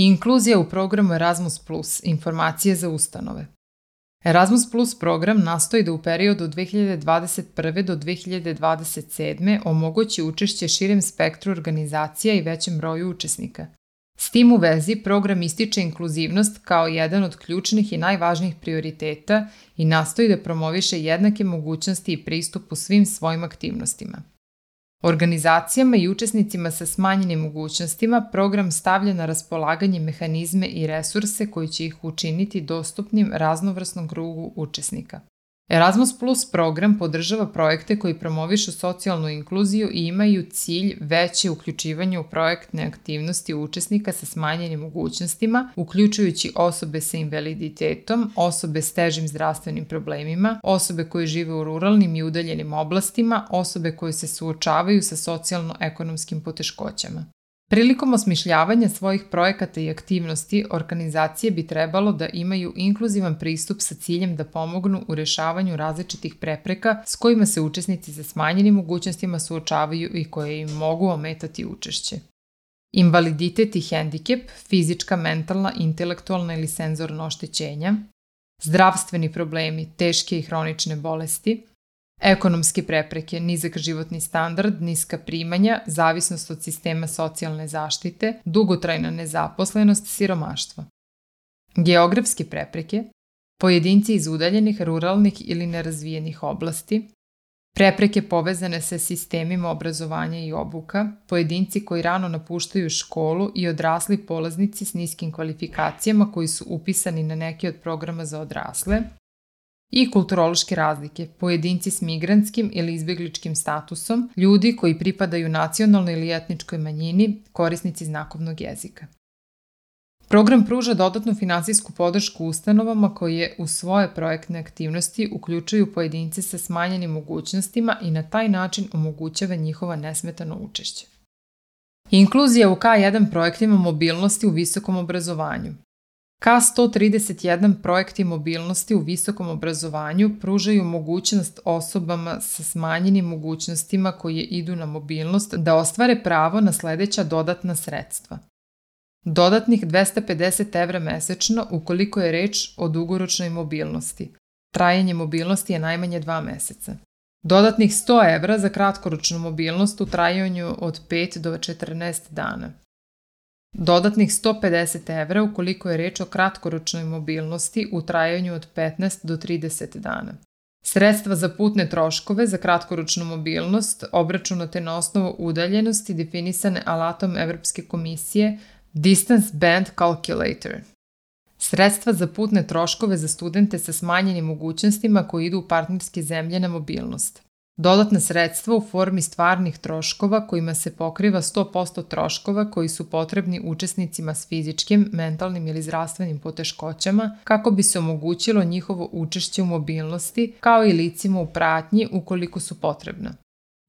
Inkluzija u programu Erasmus+, informacije za ustanove. Erasmus Plus program nastoji da u periodu od 2021. do 2027. omogući učešće širem spektru organizacija i većem broju učesnika. S tim u vezi, program ističe inkluzivnost kao jedan od ključnih i najvažnijih prioriteta i nastoji da promoviše jednake mogućnosti i pristup u svim svojim aktivnostima. Organizacijama i učesnicima sa smanjenim mogućnostima program stavlja na raspolaganje mehanizme i resurse koji će ih učiniti dostupnim raznovrsnom krugu učesnika. Erasmus Plus program podržava projekte koji promovišu socijalnu inkluziju i imaju cilj veće uključivanje u projektne aktivnosti učesnika sa smanjenim mogućnostima, uključujući osobe sa invaliditetom, osobe s težim zdravstvenim problemima, osobe koje žive u ruralnim i udaljenim oblastima, osobe koje se suočavaju sa socijalno-ekonomskim poteškoćama. Prilikom osmišljavanja svojih projekata i aktivnosti, organizacije bi trebalo da imaju inkluzivan pristup sa ciljem da pomognu u rešavanju različitih prepreka s kojima se učesnici sa smanjenim mogućnostima suočavaju i koje im mogu ometati učešće. Invaliditet i hendikep, fizička, mentalna, intelektualna ili senzorna oštećenja, zdravstveni problemi, teške i hronične bolesti, ekonomske prepreke, nizak životni standard, niska primanja, zavisnost od sistema socijalne zaštite, dugotrajna nezaposlenost, siromaštvo. Geografske prepreke, pojedinci iz udaljenih, ruralnih ili nerazvijenih oblasti, prepreke povezane sa sistemima obrazovanja i obuka, pojedinci koji rano napuštaju školu i odrasli polaznici s niskim kvalifikacijama koji su upisani na neki od programa za odrasle, i kulturološke razlike, pojedinci s migrantskim ili izbjegličkim statusom, ljudi koji pripadaju nacionalnoj ili etničkoj manjini, korisnici znakovnog jezika. Program pruža dodatnu finansijsku podršku ustanovama koje u svoje projektne aktivnosti uključuju pojedince sa smanjenim mogućnostima i na taj način omogućava njihova nesmetano učešće. Inkluzija u K1 projektima mobilnosti u visokom obrazovanju. K131 projekti mobilnosti u visokom obrazovanju pružaju mogućnost osobama sa smanjenim mogućnostima koje idu na mobilnost da ostvare pravo na sledeća dodatna sredstva. Dodatnih 250 € mesečno ukoliko je reč o dugoročnoj mobilnosti. Trajanje mobilnosti je najmanje 2 meseca. Dodatnih 100 € za kratkoročnu mobilnost u trajanju od 5 do 14 dana. Dodatnih 150 € ukoliko je reč o kratkoročnoj mobilnosti u trajanju od 15 do 30 dana. Sredstva za putne troškove za kratkoročnu mobilnost obračunate na osnovu udaljenosti definisane alatom Evropske komisije Distance Band Calculator. Sredstva za putne troškove za studente sa smanjenim mogućnostima koji idu u partnerske zemlje na mobilnost. Dodatna sredstva u formi stvarnih troškova kojima se pokriva 100% troškova koji su potrebni učesnicima s fizičkim, mentalnim ili zdravstvenim poteškoćama kako bi se omogućilo njihovo učešće u mobilnosti kao i licima u pratnji ukoliko su potrebna.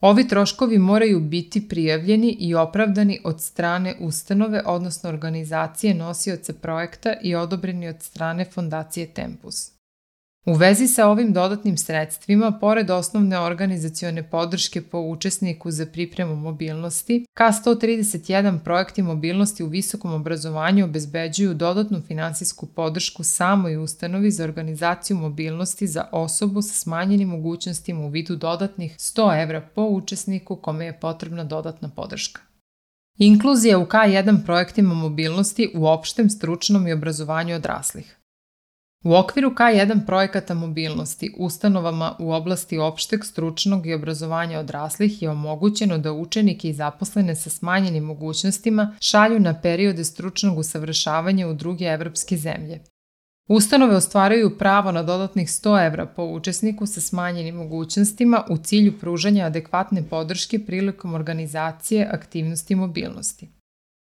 Ovi troškovi moraju biti prijavljeni i opravdani od strane ustanove, odnosno organizacije nosioca projekta i odobreni od strane Fondacije Tempus. U vezi sa ovim dodatnim sredstvima, pored osnovne organizacione podrške po učesniku za pripremu mobilnosti, K131 projekti mobilnosti u visokom obrazovanju obezbeđuju dodatnu finansijsku podršku samoj ustanovi za organizaciju mobilnosti za osobu sa smanjenim mogućnostima u vidu dodatnih 100 € po učesniku kome je potrebna dodatna podrška. Inkluzija u K1 projektima mobilnosti u opštem, stručnom i obrazovanju odraslih. U okviru K1 projekata mobilnosti ustanovama u oblasti opšteg, stručnog i obrazovanja odraslih je omogućeno da učenike i zaposlene sa smanjenim mogućnostima šalju na periode stručnog usavršavanja u druge evropske zemlje. Ustanove ostvaruju pravo na dodatnih 100 € po učesniku sa smanjenim mogućnostima u cilju pružanja adekvatne podrške prilikom organizacije aktivnosti mobilnosti.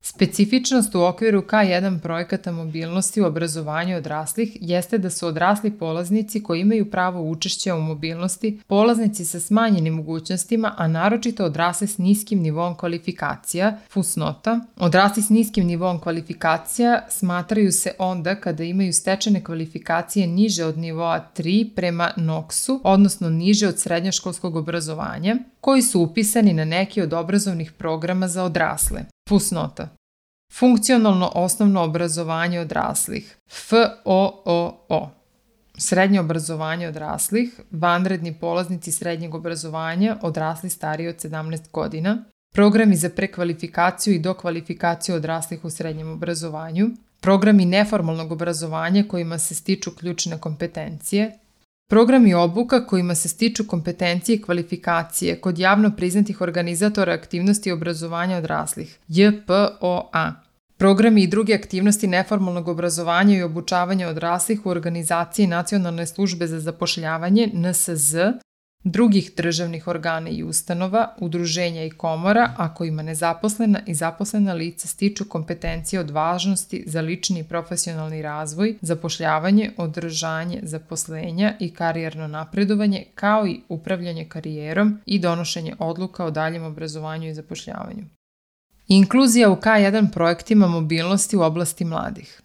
Specifičnost u okviru K1 projekata mobilnosti u obrazovanju odraslih jeste da su odrasli polaznici koji imaju pravo učešća u mobilnosti polaznici sa smanjenim mogućnostima, a naročito odrasli s niskim nivoom kvalifikacija, fusnota. Odrasli s niskim nivoom kvalifikacija smatraju se onda kada imaju stečene kvalifikacije niže od nivoa 3 prema NOKS-u, odnosno niže od srednjoškolskog obrazovanja, koji su upisani na neki od obrazovnih programa za odrasle. Fusnota. Funkcionalno osnovno obrazovanje odraslih, FOOO. Srednje obrazovanje odraslih, vanredni polaznici srednjeg obrazovanja, odrasli stariji od 17 godina, programi za prekvalifikaciju i dokvalifikaciju odraslih u srednjem obrazovanju, programi neformalnog obrazovanja kojima se stiču ključne kompetencije, programi obuka kojima se stiču kompetencije i kvalifikacije kod javno priznatih organizatora aktivnosti obrazovanja odraslih, JPOA, programi i druge aktivnosti neformalnog obrazovanja i obučavanja odraslih u organizaciji Nacionalne službe za zapošljavanje, NSZ, drugih državnih organa i ustanova, udruženja i komora, a kojima nezaposlena i zaposlena lica stiču kompetencije od važnosti za lični i profesionalni razvoj, zapošljavanje, održanje zaposlenja i karijerno napredovanje, kao i upravljanje karijerom i donošenje odluka o daljem obrazovanju i zapošljavanju. Inkluzija u K1 projektima mobilnosti u oblasti mladih.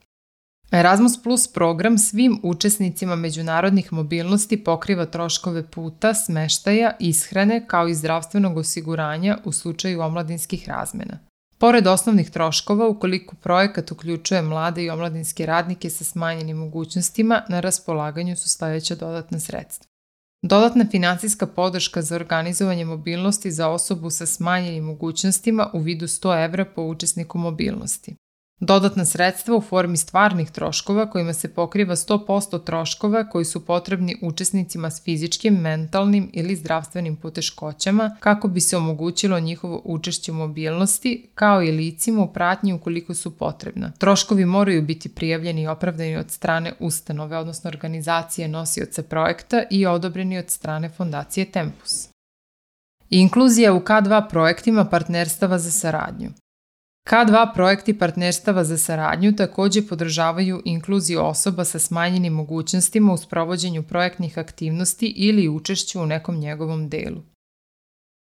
Erasmus Plus program svim učesnicima međunarodnih mobilnosti pokriva troškove puta, smeštaja, ishrane kao i zdravstvenog osiguranja u slučaju omladinskih razmena. Pored osnovnih troškova, ukoliko projekat uključuje mlade i omladinske radnike sa smanjenim mogućnostima, na raspolaganju su sledeća dodatna sredstva. Dodatna finansijska podrška za organizovanje mobilnosti za osobu sa smanjenim mogućnostima u vidu 100 evra po učesniku mobilnosti. Dodatna sredstva u formi stvarnih troškova kojima se pokriva 100% troškova koji su potrebni učesnicima s fizičkim, mentalnim ili zdravstvenim poteškoćama kako bi se omogućilo njihovo učešće u mobilnosti, kao i licima u pratnji ukoliko su potrebna. Troškovi moraju biti prijavljeni i opravdani od strane ustanove, odnosno organizacije nosioca projekta i odobreni od strane Fondacije Tempus. Inkluzija u K2 projektima partnerstava za saradnju. K2 projekti partnerstava za saradnju takođe podržavaju inkluziju osoba sa smanjenim mogućnostima u sprovođenju projektnih aktivnosti ili učešću u nekom njegovom delu.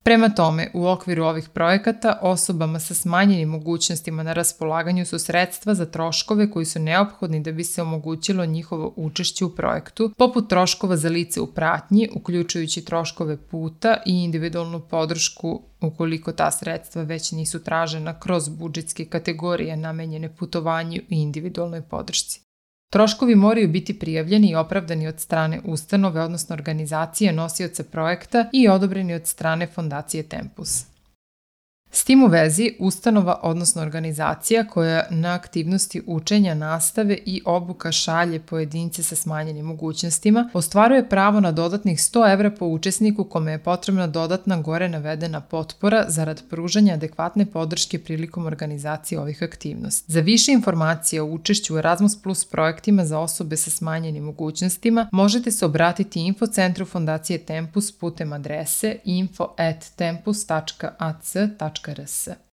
Prema tome, u okviru ovih projekata osobama sa smanjenim mogućnostima na raspolaganju su sredstva za troškove koji su neophodni da bi se omogućilo njihovo učešće u projektu, poput troškova za lice u pratnji, uključujući troškove puta i individualnu podršku ukoliko ta sredstva već nisu tražena kroz budžetske kategorije namenjene putovanju i individualnoj podršci. Troškovi moraju biti prijavljeni i opravdani od strane ustanove, odnosno organizacije nosioca projekta i odobreni od strane Fondacije Tempus. S tim u vezi, ustanova, odnosno organizacija koja na aktivnosti učenja, nastave i obuka šalje pojedince sa smanjenim mogućnostima, ostvaruje pravo na dodatnih 100 evra po učesniku kome je potrebna dodatna gore navedena potpora zarad pružanja adekvatne podrške prilikom organizacije ovih aktivnosti. Za više informacije o učešću u Erasmus Plus projektima za osobe sa smanjenim mogućnostima možete se obratiti Infocentru Fondacije Tempus putem adrese info@tempus.ac.rs.